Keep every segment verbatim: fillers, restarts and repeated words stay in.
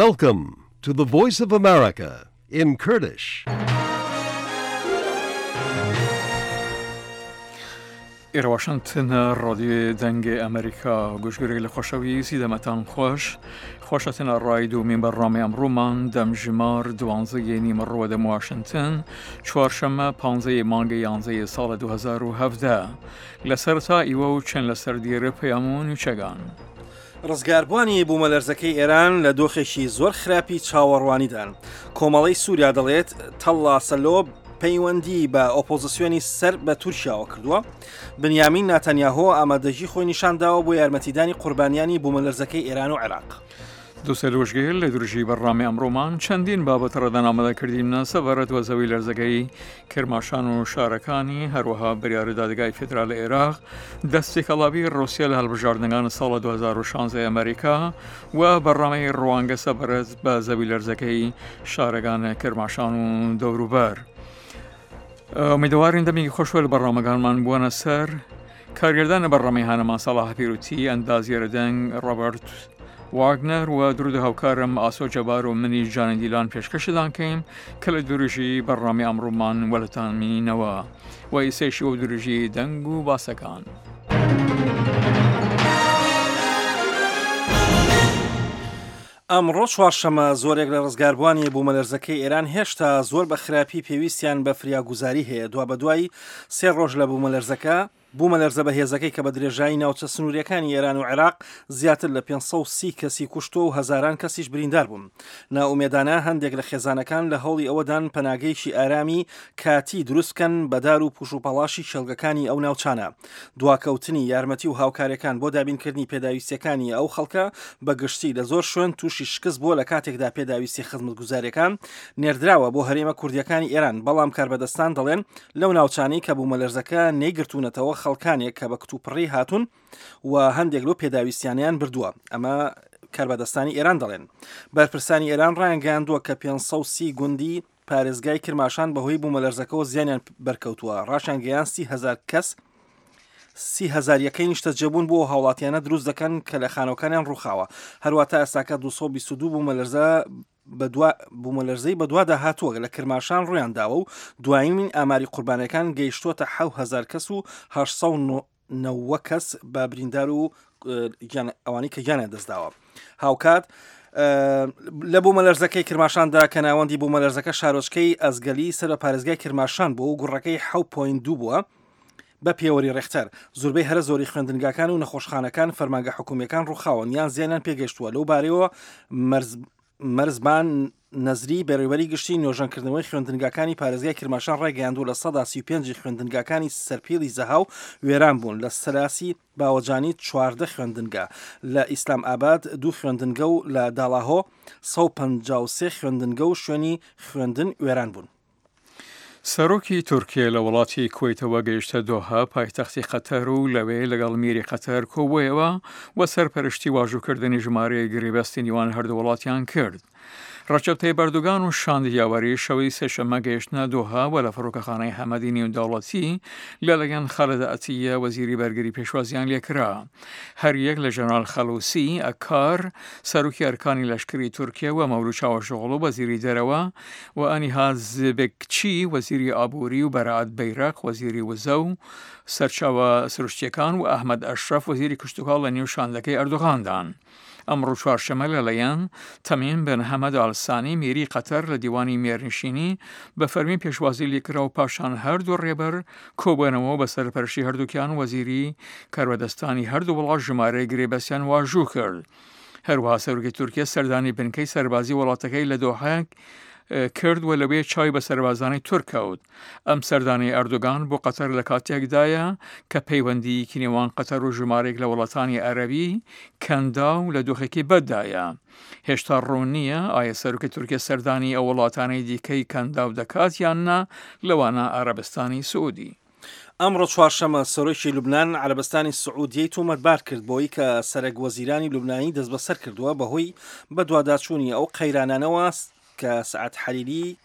Welcome to the Voice of America in Kurdish. ئێرە واشنگتن ڕادیۆ دەنگ ئەمریکا گوشگرێک لە خۆشەویستی دەمەتان خۆش خوشتن ڕای دومین بەرنامەی ئەمڕۆمان دەمژمار دوانزەی نیمەڕوە دەم واشنگتن چوارشەممە پانزەی مانگە یانزەی ساڵ دوو هەزار و هەڤدە لە سەرەتا ئیوە و چەند لەسەر دیرە پەیام و نوچەگان. ڕزگاربووانی بوومەلەرزەکەی ئێران لە دۆخێکی زۆر خراپی چاوەڕوانیدان. کۆمەڵەی سووریا دەڵێت تەڵا سەلۆ پەیوەندی بە ئۆپۆزیسیۆنی سەر بە تورکیاوە کردووە. بنیامین ناتەنیاهۆ ئامادەگی خۆی نیشانداوە بۆ یارمەتیدانی قوربانیانی بوومەلەرزەکەی ئێران و عێراق. دووسێ لۆژگەیل لە درژی بەرنامەی ئەمڕۆمان چەندین بابەت ڕەدان ئامادەکردیمنە سەبارەت وە زەوی لەرزەکەی کرماشان و شارەکانی، هەروەها بریار دادگای فیدرال عێراق دەستێکەڵاوی ڕوسیا لە هەڵبژاردنەکان ساڵ دوو هەزار و شانزە ئەمریکا و بەرنامەی ڕوانگە سەبارەت بە زەوی لەرزەکەی شارەکان کرماشان و دەوروبەر. ئومیدەوارین دەمێکی خۆشوە لە بەرنامەکانمان بووەنە سەر. کارگردانە بەرنامەی هانەمان سەڵاح پیروتی، ئەندازیارە دەنگ ڕۆبەرت واگنەر و درود هاوکارم ئاسۆ جەبار و منی جانە دیلان پێشکەشدان کەیم کە لە درژی بەرنامەی ئەمڕۆمان وەلتان مینەوە و ئیسەیشی و درژی دەنگ و باسەکان. ئەمڕۆ چوارشەممە زۆرێک لە ڕزگاربووانی بوومەلەرزەکەی ئێران هێشتا زۆر بە خراپی پێویستیان بە فریاگوزاری هەیە. دوا بەدوای سێ ڕۆژ لە بوومەلەرزەکە بوومەلەرزە بەهێزەکەی کە بە درێژایی ناوچە سنووریەکانی ئێران و عێراق زیاتر لە پێنج سەد و سی کەسی کوشتووە و هەزاران کەسیش بریندار بوون. نائومێدانە هەندێک لە خێزانەکان لە هەوڵی ئەوەدان پەناگەیەکی ئارامی کاتی دروست بکەن بە دار و پوش و پەڵاشی کێڵگەکانی ئەو ناوچانە. دواکەوتنی یارمەتی و هاوکاریەکان بۆ دابینکردنی پێداویستیەکانی ئەو خەڵکە بە گشتی لە زۆر شوێن تووشی شکست بووە لە کاتێکدا پێداویستی خزمەتگوزاریەکان نێردراوە بۆ هەرێمە کوردیەکانی ئێران، بەڵام کاربەدەستان دەڵێن لەو ناوچانەی کە بوومەلەرزەکە نەیگرتوونەتەوە خەڵکانێک کە بە کتوپڕی هاتوون و هەندێک لەو پێداویستیانیان بردووە. ئەمە کاربەدەستانی ئێران دەڵێن. بەرپرسانی ئێران ڕایانگەیاندووە کە پێنج سەد و سی گوندی پارێزگای کرماشان بەهۆی بوومەلەرزەکەەوە زیانیان بەرکەوتووە. ڕاشیانگەیان سی هەزار کەس سی هەزار یەکەی نیشتەجێبوون بۆ هاوڵاتیانە دروست دەکەن کە لە خانەوەکانیان ڕووخاوە. هەروەتا ئێستاکە دوو سەد و بیست و دوو بوومەلەرزە بوومەلەرزەی بەدوادا هاتووە لە کرماشان ڕویان داوە و دوایین ئاماری قوربانەکان گەیشتووەتە حەوت هەزار کەس و هەشت سەد و نەوە کەس بە بریندار و ئەوانەی کە گیانیان دەستداوە. هاوکات لە بوومەلەرزەکەی کرماشاندا کە ناوەندی بوومەلەرزەکە شارۆچکەی ئەزگەلی سەر بە پارێزگای کرماشان بوو و گوڕەکەی حەوت پۆینت دوو بووە بە پێوەری ڕێختەر. زۆربەی هەرە زۆری خوێندنگاکان و نەخۆشخانەکان فەرمانگە حکومیەکان ڕووخاون یان زیانیان پێگەیشتووە. لەو بارەیەوە مەرزبان نەزری بەڕێوەبەری گشتی نۆژەنکردنەوەی خوێندنگاکانی پارێزگای کرماشان ڕایگەیاندووە لە سەدا سی و پێنجی خوێندنگاکانی سەرپیڵی زەهاو وێران بوون، لە سەلاسی باوەجانی چواردە خوێندنگا، لە ئیسلام ئاباد دوو خوێندنگە و لە داڵاهۆ سەد و پەنجا و سێ خوێندنگە و شوێنی خوێندن وێران بوون. سەرۆکی تورکیا لە وڵاتی کوەیتەوە گەیشتە دۆها پایتەختی قەتەر و لەوێ لەگەڵ میری قەتەر کۆبوویەوە و سەرپەرشتی واژووکردنی ژمارەیەک گرێبەستی نێوان هەردوو وڵاتیان کرد. ڕەجەب تەیب ئەردۆگان و شاندی یاوەری شەوی سێشەممە گەیشتنە دۆها و لە فڕۆکەخانەی حەمەدی نێودەوڵەتی لەلایەن خالد عەتیە وەزیری بەرگری پێشوازیان لێکرا. هەر یەک لە ژەنەرال خەلوسی ئەکار سەرۆکی ئەرکانی لەشکری تورکیا و مەولود چاوەشئۆغڵو وەزیری دەرەوە و ئەنیها زبکچی وەزیری ئابووری و بەرائەت بەیرەق وەزیری وزە و سەرچاوە سروشتیەکان و ئەحمەد ئەشرەف وەزیری کشتوکاڵ لە نێو شاندەکەی ئەردۆغاندان. ئەمڕۆ چوارشەممە لەلایەن تەمیم بن حەمەد ئالسانی میری قەتەر لە دیوانی مێرنشینی بە فەرمی پێشوازی لێکرا و پاشان هەردوو ڕێبەر کۆبوونەوە بە سەرپەرشتی هەردووکیان وەزیری کاربەدەستانی هەردوو وڵات ژمارەی گرێبەستیان واژوو کرد. هەروەها سەرۆکی تورکیا سەردانی بنکەی سەربازی وڵاتەکەی لە دۆحە کرد و لەوێ چاوی بە سەربازانی تورک کەوت. ئەم سەردانەی ئەردۆگان بۆ قەتەر لە کاتێکدایە کە پەیوەندییەکی نێوان قەتەر و ژمارەیەک لە وڵاتانی عەرەبی کەنداو لە دۆخێکی بەددایە. هێشتا ڕوون نییە ئایا سەرۆکی تورکیا سەردانی ئەو وڵاتانەی دیکەی کەنداو دەکات یان نا، لەوانە عەرەبستانی سعودی. ئەمڕۆ چوارشەممە سەرۆکی لوبناان عەرەبستانی سعودیەی تۆمەتبار کرد بۆی کە سەرەک وەزیرانی لوبنانی دەستبەسەر کردووە بەهۆی بەدواداچوونی ئەو قەیرانانەوە کە سەعد حەریری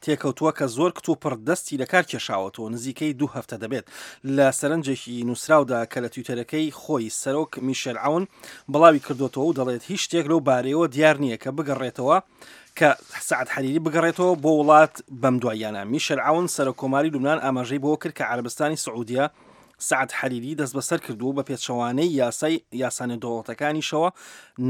تێکەوتووە کە زۆر کتوپڕ دەستی لەکار کێشاوەتەوە، نزیکەی دوو هەفتە دەبێت. لە سەرنجێکی نووسراودا کە لە تویتەرەکەی خۆی سەرۆک میشێل عەون بڵاوی کردووەتەوە و دەڵێت هیچ شتێک لەو بارەیەوە دیار نییە کە بگەڕێتەوە کە سەعد حەریری بگەڕێتەوە بۆ وڵات بەم دواییانە. میشێل عەون سەرۆک کۆماری لوبنان ئاماژەی بەوە کرد کە عەرەبستانی سعودیە سەعد حەریری دەستبەسەر کردووە و بە پێچەوانەی یاسای یاسا نێودەوڵەتەکانیشەوە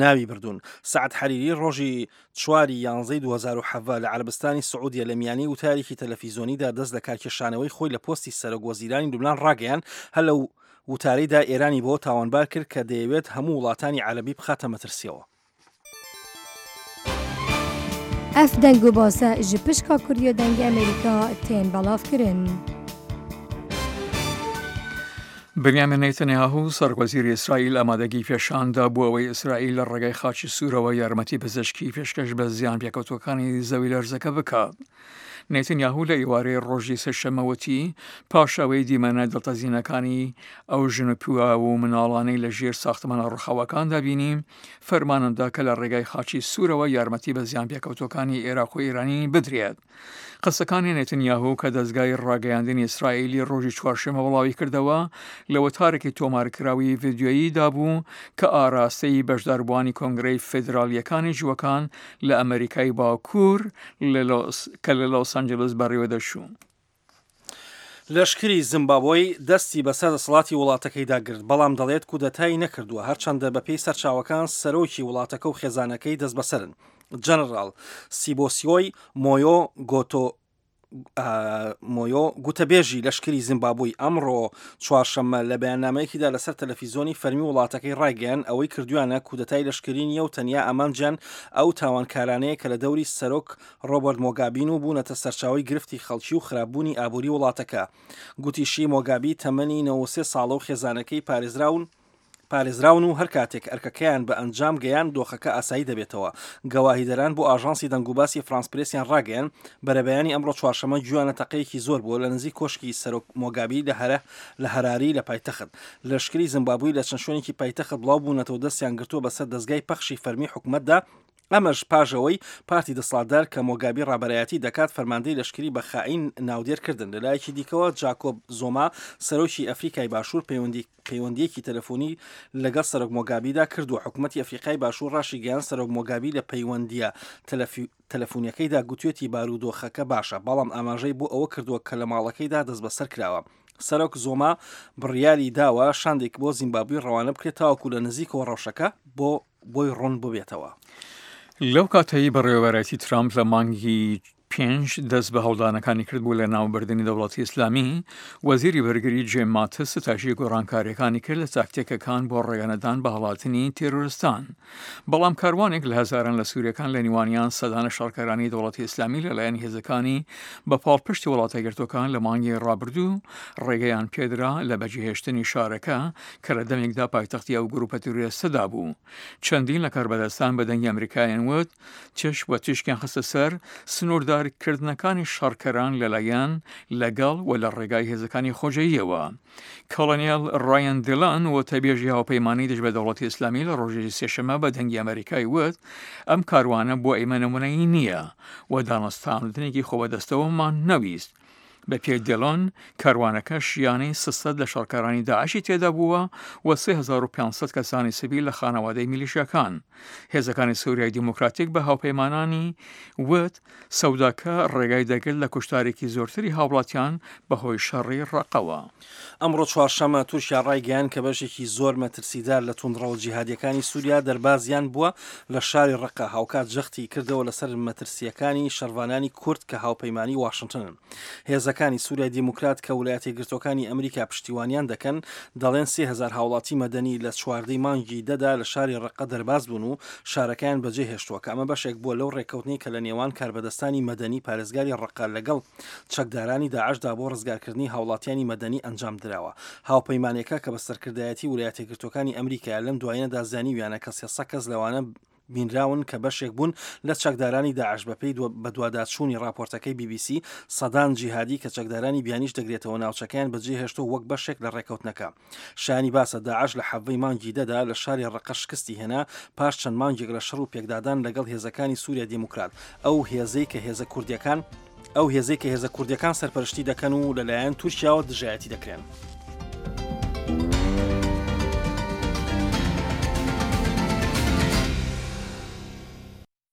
ناوی بردوون. سەعد حەریری ڕۆژی چواری یانزەی دوو هەزار و حەڤدە لە عەرەبستانی سعودیە لە میانەی وتارێکی تەلەفیزۆنیدا دەست لە کارکێشانەوەی خۆی لە پۆستی سەرۆک وەزیرانی لوبنان ڕاگەیاند، هەر لەو وتارەیدا ئێرانی بەوە تاوانبار کرد کە دەیەوێت هەموو وڵاتانی عەرەبی بخاتە مەترسیەوە. Ev deng û base ji pişka Kurdiya Dengê Amerîka tên belavkirin. بنیامین نەیتەنیاهو سەرۆکوەزیری ئیسرائیل ئامادەگی پێشاندا بۆ ئەوەی ئیسرائیل لە ڕێگای خاچی سوورەوە یارمەتی پزیشکی پێشکەش بە زیان پێکەوتووەکانی زەویلەرزەکە بکات. نەیتەنیاهو لە ئێوارەی ڕۆژی سێشەممە وتی، پاش ئەوەی دیمەنە دڵتەزینەکانی ئەو ژن و پیاو و مناڵانەی لە ژێر ساختمانە ڕووخاوەکاندا بینی، فەرمانم دا کە لە ڕێگای خاچی سوورەوە یارمەتی بە زیان پێکەوتووەکانی ئێراق و ئێرانی بدرێت. قسەکانی نەتنیاهو کە دەزگای ڕاگەیاندنی ئیسرائیلی ڕۆژی چوارشەممە بڵاوی کردەوە، لە وتارێکی تۆمارکراوی ڤیدیۆییدا بوو کە ئاراستەی بەشداربووانی کۆنگرەی فیدراڵییەکانی جووەکان لە ئەمەریکای باکوور کە لە لۆس ئەنجلس بەڕێوەدەچوو. لەشکری زیمبابۆی دەستی بەسەر دەسەڵاتی وڵاتەکەیدا گرت، بەڵام دەڵێت کودەتای نەکردووە، هەرچەندە بەپێی سەرچاوەکان سەرۆکی وڵاتەکە و خێزانەکەی دەستبەسەرن. جەنەڕاڵ سیبۆسیۆی مۆیۆ گۆتۆ مۆیۆ گوتەبێژی لەشکری زیمبابوی ئەمڕۆ چوارشەممە لە بەیاننامەیەکیدا لەسەر تەلەفیزیۆنی فەرمی وڵاتەکەی ڕایگەیاند ئەوەی کردویانە کودەتای لەشکری نییە و تەنیا ئامانجیان ئەو تاوانکارانەیە کە لە دەوری سەرۆک ڕۆبەرت مۆگابین و بوونەتە سەرچاوەی گرفتی خەڵکی و خراپبوونی ئابووری وڵاتەکە. گوتیشی مۆگابی تەمەنی نەوەد و سێ ساڵە و خێزانەکەی پارێزراون پارێزراون و هەر کاتێک ئەرکەکەیان بە ئەنجام گەیان دۆخەکە ئاسایی دەبێتەوە. گەواهیدەران بۆ ئاژانسی دەنگوباسی فرانس پرێسیان ڕاگەیان بەرەبەیانی ئەمڕۆ چوارشەممە گویانە تەقەیەکی زۆر بووە لە نزیک کۆشکی سەرۆک مۆگابی لە هەرە لە هەراری لە پایتەخت. لەشکری زیمبابوی لە چەند شوێنێکی پایتەخت بڵاو بوونەتەوە دەستیان گرتووە بەسەر دەزگای پەخشی فەرمی حکومەتدا، ئەمەش پاش ئەوەی پارتی دەسەڵاتدار کە مۆگابی ڕابەرایەتی دەکات فەرماندەی لەشکری بە خائین ناودێر کردن. لەلایەکی دیکەوە جاکۆب زۆما سەرۆکی ئەفریکای باشوور پەیوەندی پەیوەندیەکی تەلەفۆنی لەگەڵ سەرۆک مۆگابیدا کردووە. حکوومەتی ئەفریقای باشوور ڕاشیگەیاند سەرۆک مۆگابی لە پەیوەندیە تەلەفۆنیەکەیدا گوتوێتی بارودۆخەکە باشە، بەڵام ئاماژەی بۆ ئەوە کردووە کە لە ماڵەکەیدا دەستبەسەر کراوە. سەرۆک زۆما بڕیاری داوە شاندێک بۆ زیمبابوی ڕەوانە بکرێت تاوەکو لە نزیکەوە ڕەوشەکە بۆ بۆی ڕوون ببێتەوە. لەو کاتەی بەڕێوەبەرایەتی ترامپ لە مانگی پێنج دەست بە هەوڵدانەکانی کرد بۆ لەناوبردنی دەوڵەتی ئیسلامی، وەزیری بەرگری جێم ماتس ستایشی گۆڕانکارییەکانی کرد لە تاکتیکەکان بۆ ڕێگەنەدان بە هەڵاتنی تێرۆرستان. بەڵام کاروانێک لە هەزاران لە سوورییەکان لە نێوانیان سەدان لە شەڕکەرانی دەوڵەتی ئیسلامی لەلایەن هێزەکانی بە پاڵپشتی وڵاتە یەکگرتووەکان لە مانگی ڕابردوو ڕێگەیان پێدرا لە بەجێهێشتنی شارەکە کە لە دەمێکدا پایتەختی ئەو گروپە تیرۆریستەدا بوو. چەندین لە کاربەدەستان بە دەنگی ئەمریکایان وت تیشک و تیشکیان خستە سەر سنووردارکردنەکانی شەڕکەران لەلایەن لەگەڵ و لە ڕێگای هێزەکانی خۆجێییەوە. کۆڵۆنێڵ ڕایەن دیلان وتەبێژی هاوپەیمانی دژ بە دەوڵەتی ئیسلامی لە ڕۆژی سێشەممە بە دەنگی ئەمریکای وت ئەم کاروانە بۆ ئێمە نمونەیی نییە و دانوستاندنێکی خۆبەدەستەوەمان نەویست. بە پێی دێلۆن، کاروانەکە شیانەی سێ سەد لە شەڕکەرانی داعشی تێدا بووە و سێ هەزار و پێنج سەد کەسانی سڤیل لە خانەوادەی میلیشیاکان. هێزەکانی سوریای دیموکراتیک بە هاوپەیمانانی وت، سەوداکە ڕێگای دەگرت لە کوشتارێکی زۆرتری هاوڵاتیان بەهۆی شەڕی ڕەقەوە. ئەمڕۆ چوارشەممە تورکیا ڕایگەیاند کە بەشێکی زۆر مەترسیدار لە توندڕەوە جیهادییەکانی سوریا دەربازیان بووە لە شاری ڕەقە، هاوکات جەختی کردەوە لەسەر مەترسییەکانی شەڕڤانانی کورد کە هاوپەیمانی واشنتنن. هێزەکانی سوریای دیموکرات کە ولایەتە یەکگرتووەکانی ئەمریکا پشتیوانیان دەکەن دەڵێن سێ هەزار هاوڵاتی مەدەنی لە چواردە ی مانگی دە دا لە شاری ڕەقە دەرباز بوون و شارەکەیان بەجێهێشتووە کە ئەمە بەشێک بووە لەو ڕێککەوتنەی کە لە نێوان کاربەدەستانی مەدەنی پارێزگاری ڕەقە لەگەڵ چەکدارانی داعشدا بۆ ڕزگارکردنی هاوڵاتیانی مەدەنی ئەنجامدراوە. هاوپەیمانێکە کە بە سەرکردایەتی ولایەتە یەکگرتووەکانی ئەمریکایە لەم دوایینەدا زانیویانە کە سێ سەد کەس لەوانە بینراون کە بەشێک بوون لە چەکدارانی داعش. بەپێی بەدواداچوونی ڕاپۆرتەکەی بی بی سی، سەدان جیهادی کە چەکدارانی بیانیش دەگرێتەوە ناوچەکەیان بەجێهێشتووە وەک بەشێک لە ڕێککەوتنەکە. شایانی باسە داعش لە حەڤدە ی مانگی دە دا لە شاری ڕەقە شکستی هێنا پاش چەند مانگێک لە شەڕ و پێکدادان لەگەڵ هێزەکانی سوریای دیموکرات، ئەو هێزەی کە هێزە کوردییەکان ئەو هێزەی کە هێزە کوردیەکان سەرپەرشتی دەکەن و لەلایەن تورکیاوە دژایەتی دەکرێن.